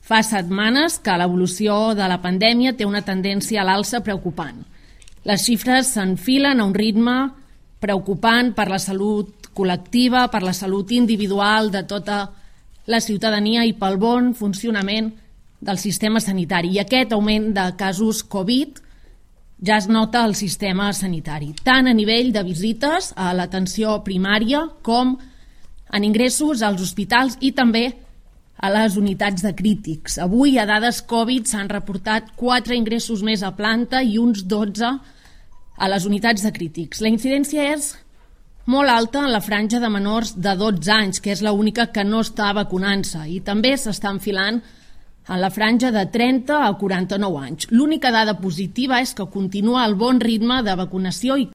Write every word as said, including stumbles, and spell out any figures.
Fa setmanes que l'evolució de la pandèmia té una tendència a l'alça preocupant. Les xifres s'enfilen a un ritme preocupant per la salut col·lectiva, per la salut individual de tota la ciutadania i pel bon funcionament del sistema sanitari. I aquest augment de casos Covid ja es nota al sistema sanitari, tant a nivell de visites a l'atenció primària com en ingressos als hospitals i també a les unitats de crítics. Avui, a dades Covid, s'han reportat quatre ingressos més a planta i uns dotze a les unitats de crítics. La incidència és molt alta en la franja de menors de dotze anys, que és l'única que no està vacunant-se, i també s'està enfilant en la franja de trenta a quaranta-nou anys. L'única dada positiva és que continua el bon ritme de vacunació i